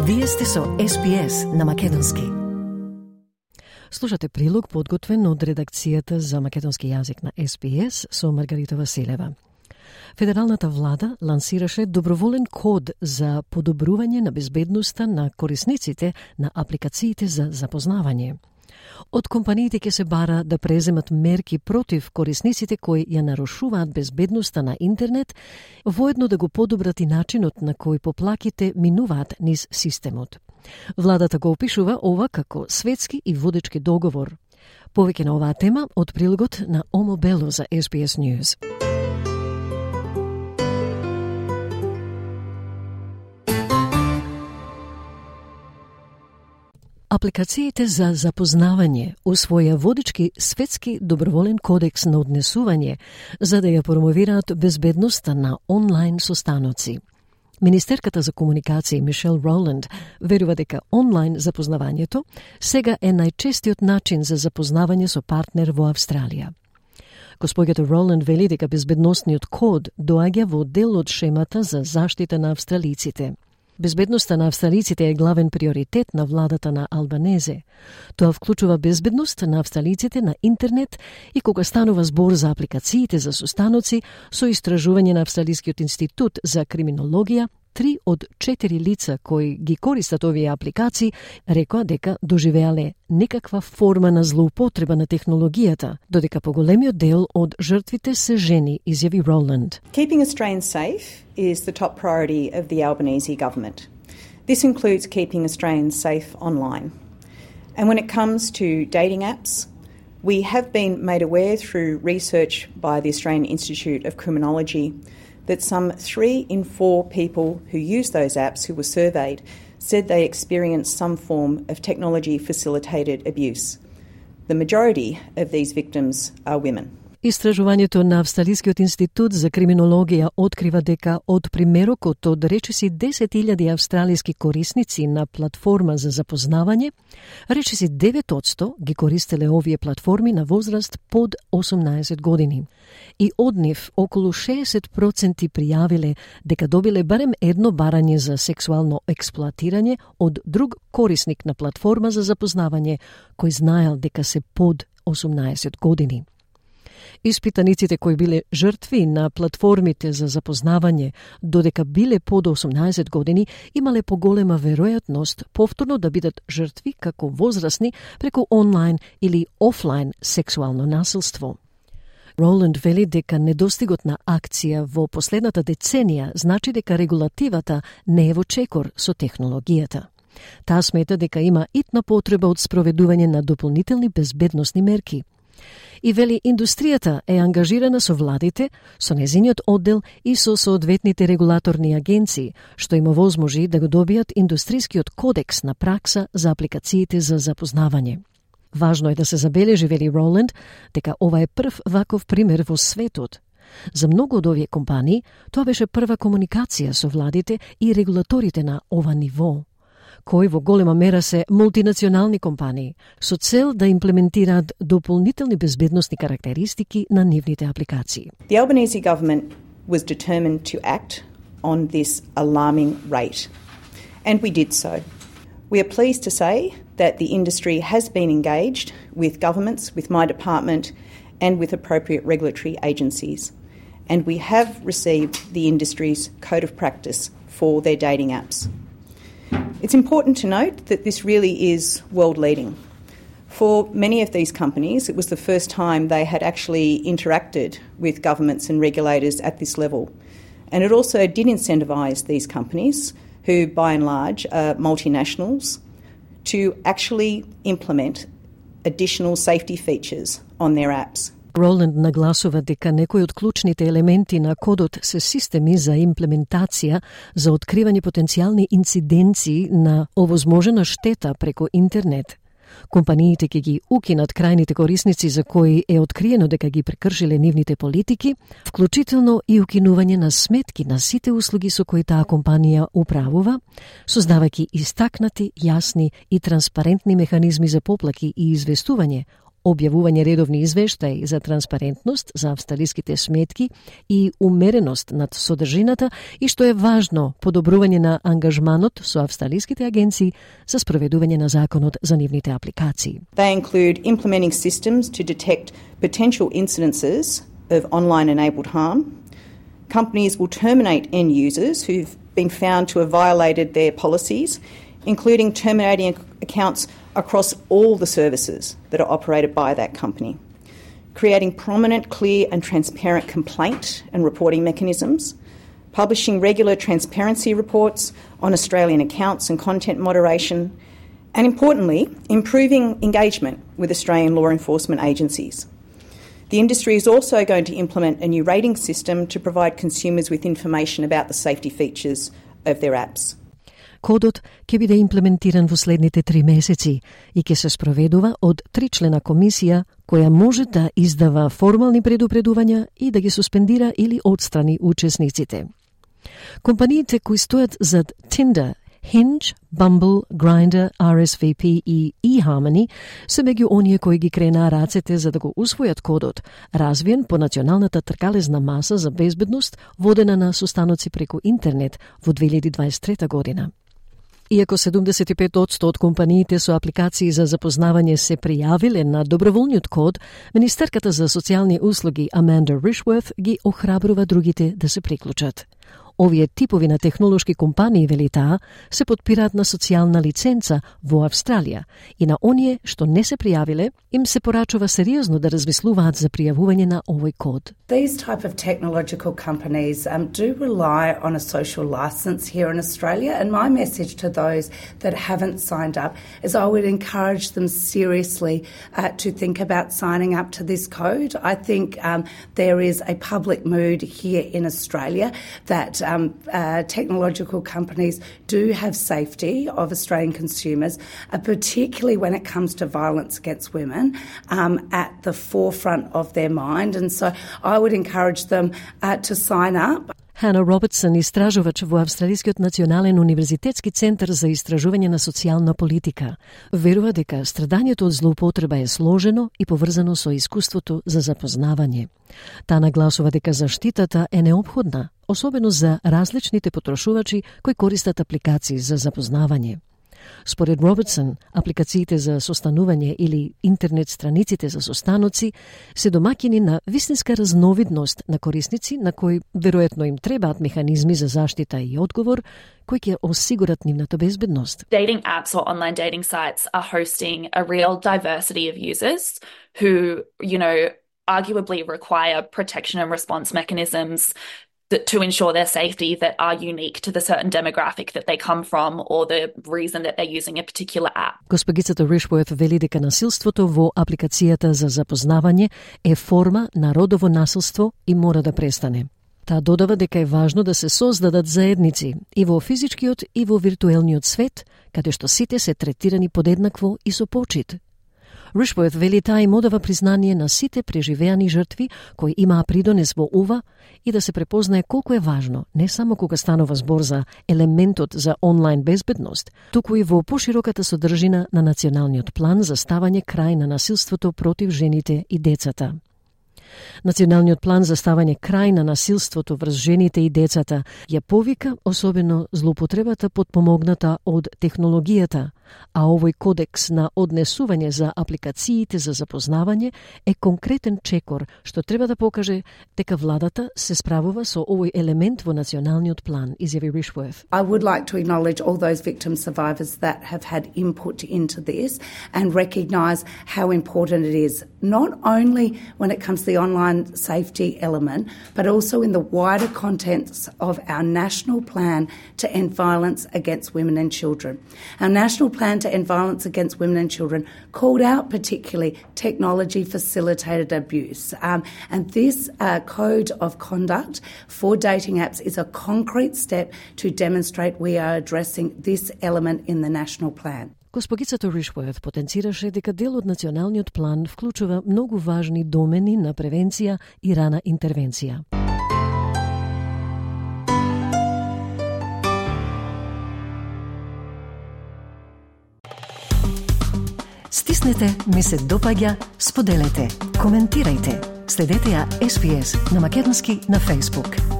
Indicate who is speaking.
Speaker 1: Вие сте со SPS на македонски. Слушате прилог подготвен од редакцијата за македонски јазик на SPS со Маргарита Василева. Федералната влада лансираше доброволен код за подобрување на безбедноста на корисниците на апликациите за запознавање. Од компаниите ќе се бара да преземат мерки против корисниците кои ја нарушуваат безбедноста на интернет, воедно да го подобрат и начинот на кој поплаките минуваат низ системот. Владата го опишува ова како светски и водечки договор. Повеќе на оваа тема од прилогот на Омо Бело за SBS News. Апликациите за запознавање усвоја водички светски доброволен кодекс на однесување за да ја промовираат безбедноста на онлайн состаноци. Министерката за комуникација Мишел Роланд верува дека онлайн запознавањето сега е најчестиот начин за запознавање со партнер во Австралија. Госпоѓата Роланд вели дека безбедносниот код доаѓа во дел од шемата за заштита на австралиците. Безбедноста на австралиците е главен приоритет на владата на Албанезе. Тоа вклучува безбедност на австралиците на интернет и кога станува збор за апликациите за состаноци, со истражување на Австралискиот институт за криминологија, 3 од 4 лица кои ги користат овие апликации рекоа дека доживеале некаква форма на злоупотреба на технологијата, додека поголемиот дел од жртвите се жени, изјави Роланд.
Speaker 2: Keeping Australians safe is the top priority of the Albanese government. This includes keeping Australians safe online. And when it comes to dating apps, we have been made aware through research by the Australian Institute of Criminology that some 3 in 4 people who use those apps who were surveyed said they experienced some form of technology-facilitated abuse. The majority of these victims are women.
Speaker 1: Истражувањето на Австралискиот институт за криминологија открива дека од примерокот од речиси 10.000 австралиски корисници на платформа за запознавање, речиси 9% ги користеле овие платформи на возраст под 18 години. И од нив околу 60% пријавиле дека добиле барем едно барање за сексуално експлоатирање од друг корисник на платформа за запознавање кој знаел дека се под 18 години. Испитаниците кои биле жртви на платформите за запознавање, додека биле под 18 години, имале поголема веројатност повторно да бидат жртви како возрастни преку онлайн или офлайн сексуално насилство. Роланд вели дека недостигот на акција во последната деценија значи дека регулативата не е во чекор со технологијата. Таа смета дека има итна потреба од спроведување на дополнителни безбедносни мерки. И вели индустријата е ангажирана со владите, со незиниот оддел и со соодветните регулаторни агенции, што им овозможи да го добијат индустрискиот кодекс на пракса за апликациите за запознавање. Важно е да се забележи, вели Роланд, дека ова е прв ваков пример во светот. За многу од овие компании, тоа беше прва комуникација со владите и регулаторите на ова ниво, кои во голема мера се мултинационални компании, со цел да имплементираат дополнителни безбедносни карактеристики на нивните апликации.
Speaker 2: The Albanese government was determined to act on this alarming rate, and we did so. We are pleased to say that the industry has been engaged with governments, with my department, and with appropriate regulatory agencies, and we have received the industry's code of practice for their dating apps. It's important to note that this really is world-leading. For many of these companies, it was the first time they had actually interacted with governments and regulators at this level. And it also did incentivise these companies, who by and large are multinationals, to actually implement additional safety features on their apps.
Speaker 1: Роланд нагласува дека некои од клучните елементи на кодот се системи за имплементација за откривање потенцијални инциденции на овозможена штета преку интернет. Компаниите ќе ги укинат крајните корисници за кои е откриено дека ги прекршиле нивните политики, вклучително и укинување на сметки на сите услуги со кои таа компанија управува, создавајќи истакнати, јасни и транспарентни механизми за поплаки и известување, објавување редовни извештаи за транспарентност за австралиските сметки и умереност над содржината и, што е важно, подобрување на ангажманот со австралиските агенции за спроведување на законот за нивните апликации.
Speaker 2: They include implementing systems to detect potential incidences of online-enabled harm. Companies will terminate end users who've been found to have violated their policies, including terminating accounts across all the services that are operated by that company, creating prominent, clear and transparent complaint and reporting mechanisms, publishing regular transparency reports on Australian accounts and content moderation, and importantly, improving engagement with Australian law enforcement agencies. The industry is also going to implement a new rating system to provide consumers with information about the safety features of their apps.
Speaker 1: Кодот ќе биде имплементиран во следните 3 месеци и ќе се спроведува од 3-члена комисија која може да издава формални предупредувања и да ги суспендира или отстрани учесниците. Компаниите кои стојат зад Tinder, Hinge, Bumble, Grindr, RSVP и eHarmony се меѓу оние кои ги кренаа рацете за да го усвојат кодот, развиен по националната тркалезна маса за безбедност водена на состаноци преку интернет во 2023 година. Иако 75% од компаниите со апликации за запознавање се пријавиле на доброволниот код, Министерката за социјални услуги Amanda Rishworth ги охрабрува другите да се приклучат. Овие типови на технолошки компании, вели таа, се подпираат на социјална лиценца во Австралија и на оние што не се пријавиле, им се порачува сериозно да размислуваат за пријавување на овој код.
Speaker 3: These type of technological companies do rely on a social license here in Australia, and my message to those that haven't signed up is I would encourage them seriously to think about signing up to this code. I think there is a public mood here in Australia that technological companies do have safety of Australian consumers, particularly when it comes to violence against women, at the forefront of their mind. And so I would encourage them to sign up.
Speaker 1: Hannah Robertson, истражувач во Австралискиот национален универзитетски центар за истражување на социјална политика, верува дека страдањето од злоупотреба е сложено и поврзано со искуството за запознавање. Таа нагласува дека заштитата е неопходна, особено за различните потрошувачи кои користат апликации за запознавање. Според Робертсон, апликациите за состанување или интернет страниците за состаноци се домаќини на вистинска разновидност на корисници на кои веројатно им требаат механизми за заштита и одговор кои ќе осигурат нивната безбедност.
Speaker 4: Dating apps or online dating sites are hosting a real diversity of users who, arguably require protection and response mechanisms to ensure their safety that are unique to the certain demographic that they come from or the reason that they're using a particular app.
Speaker 1: Госпогицата Rishworth вели дека насилството во апликацијата за запознавање е форма на родово насилство и мора да престане. Таа додава дека е важно да се создадат заедници и во физичкиот и во виртуелниот свет, каде што сите се третирани подеднакво и со почит. Rishworth вели таа им одава признание на сите преживеани жртви кои имаа придонес во ова и да се препознае колку е важно, не само кога станува збор за елементот за онлайн безбедност, туку и во пошироката содржина на националниот план за ставање крај на насилството против жените и децата. Националниот план за ставање крај на насилството врз жените и децата ја повика особено злоупотребата подпомогната од технологијата, а овој кодекс на однесување за апликациите за запознавање е конкретен чекор што треба да покаже дека владата се справува со овој елемент во националниот план, изјави Rishworth.
Speaker 3: I would like to acknowledge all those victim survivors that have had input into this and recognise how important it is, not only when it comes to the online safety element, but also in the wider contents of our national plan to end violence against women and children. Our national plan to end violence against women and children called out particularly technology-facilitated abuse. And this code of conduct for dating apps is a concrete step to demonstrate we are addressing this element in the national plan.
Speaker 1: Госпогицата Rishworth потенцираше дека дел од националниот план вклучува многу важни домени на превенција и рана интервенција. Стиснете ми се допаѓа, споделете, коментирајте. Следете ја SPS на македонски на Facebook.